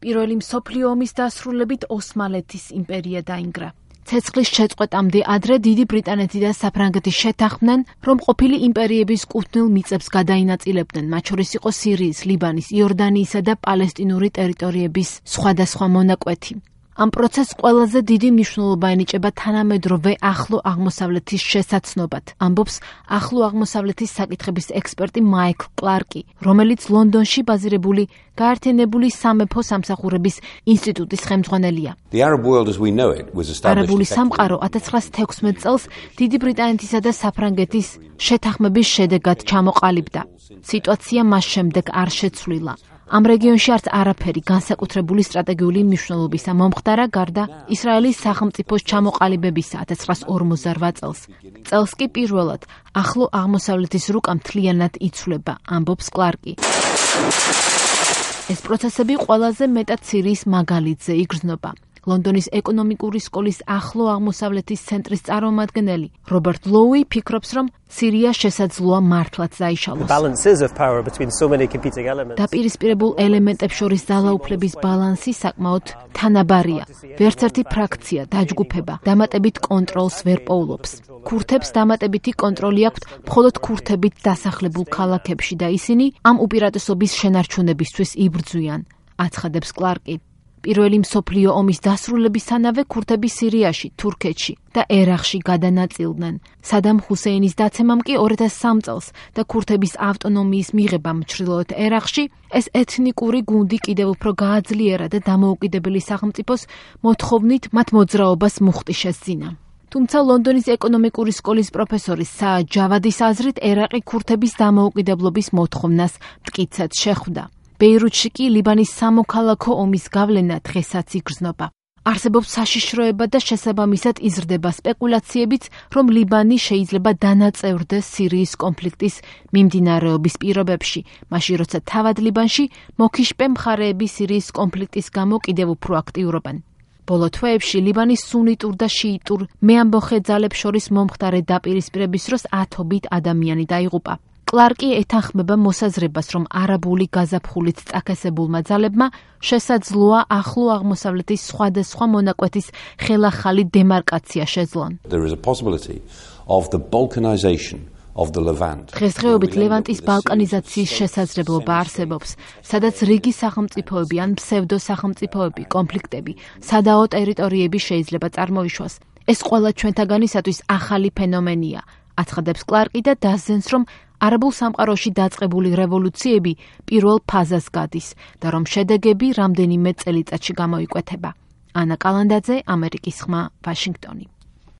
პირველი მსოფლიო ომის დასრულებით ოსმალეთის იმპერია დაინგრა. ცეცხლის შეწყვეტამდე ადრე დიდი ბრიტანეთი და საფრანგეთი შეთანხმდნენ, რომ ყოფილი იმპერიების კუთვნილ მიწებს გადაინაწილებდნენ, მათ შორის იყო სირიის, ლიბანის, იორდანიისა და პალესტინური ტერიტორიების სხვადასხვა მონაკვეთი. ამ პროცესს ყველაზე დიდი მნიშვნელობა ენიჭება თანამედროვე ახლო აღმოსავლეთის შესაცნობად, ამბობს ახლო აღმოსავლეთის საკითხების ექსპერტი მაიკლ კლარკი, რომელიც ლონდონში ბაზირებული გაერთიანებული სამეფო სამსახურების ინსტიტუტის ხელმძღვანელია. არაბული სამყარო 1916 წელს დიდი ბრიტანეთისა და საფრანგეთის შეთანხმების შედეგად ჩამოყალიბდა. სიტუაცია მას შემდეგ არ შეცვლილა. ამ რეგიონში არც არაფერი განსაკუთრებული სტრატეგიული მნიშვნელობისა მომხდარა გარდა ისრაელის სახელმწიფოს ჩამოყალიბებისა 1948 წელს. წელს კი პირველად ახლო აღმოსავლეთის რუკა მთლიანად იცვლება, ამბობს კლარკი. ეს პროცესები ყველაზე მეტად სირიის მაგალითზე იგრძნობა. ლონდონის ეკონომიკური სკოლის ახლო აღმოსავლეთის centris წარმომადგენელი რობერტ ლოუი ფიქრობს, რომ სირია შესაძლოა მართლაც დაიშალოს. დაპირისპირებულ ელემენტებს შორის ძალაუფლების ბალანსი საკმაოდ თანაბარია. ვერც ერთი ფრაქცია, დაჯგუფება დამატებით კონტროლს ვერ პოულობს. ქურთებს დამატებითი კონტროლი აქვთ მხოლოდ ქურთებით დასახლებულ ქალაქებში და ისინი ამ უპირატესობის შენარჩუნებისთვის იბრძვიან, აცხადებს კლარკი. პირველი მსოფლიო ომის დასრულებისთანავე ქურთები სირიაში, თურქეთში და ერაყში გადანაწილდნენ. სადამ ჰუსეინის დაცემამ კი 2003 წელს და ქურთების ავტონომიის მიღებამ ჩრდილოეთ ერაყში ეს ეთნიკური გუნდი კიდევ უფრო გააძლიერა და დამოუკიდებელი სახელმწიფოს მოთხოვნით მათ მოძრაობას მუხტი შესძინა. თუმცა ლონდონის ეკონომიკური სკოლის პროფესორი საად ჯავადის აზრით ერაყი ქურთების დამოუკიდებლობის მოთხოვნას მტკიცედ შეხვდა. ბეირუთში კი ლიბანის სამოქალაქო ომის გავლენა დღესაც იგრძნობა. არსებობს საშიშროება და შესაბამისად იზრდება სპეკულაციებიც, რომ ლიბანი შეიძლება დანაწევრდეს სირიის კონფლიქტის მიმდინარეობის პირობებში, მაშინ როცა თავად ლიბანში მოქიშპე მხარეები სირიის კონფლიქტის გამო კიდევ უფრო აქტიურობენ. ბოლო თვეებში ლიბანის სუნიტურ და შიიტურ მეამბოხე ძალებს შორის მომხდარი დაპირისპირების დროს ათობით ადამიანი დაიღუპა. კლარკი ეთანხმება მოსაზრებას, რომ არაბული გაზაფხულით წაქესებულმა ძალებმა შესაძლოა ახლო აღმოსავლეთის სხვადასხვა მონაკვეთის ხელახალი დემარკაცია შეძლონ. დღესდღეობით ლევანტის ბალკანიზაციის შესაძლებლობა არსებობს, სადაც რიგი სახელმწიფოები ან ფსევდო სახელმწიფოები, კონფლიქტები, სადაო ტერიტორიები შეიძლება წარმოიშვას. ეს ყველა ჩვენთაგანისათვის ახალი ფენომენია, აცხადებს კლარკი და დასძენს, რომ არაბულ სამყაროში დაწყებული რევოლუციები პირველ ფაზას გადის და რომ შედეგები რამდენიმე წელიწადში გამოიკვეთება. ანა კალანდაძე, ამერიკის ხმა, ვაშინგტონი.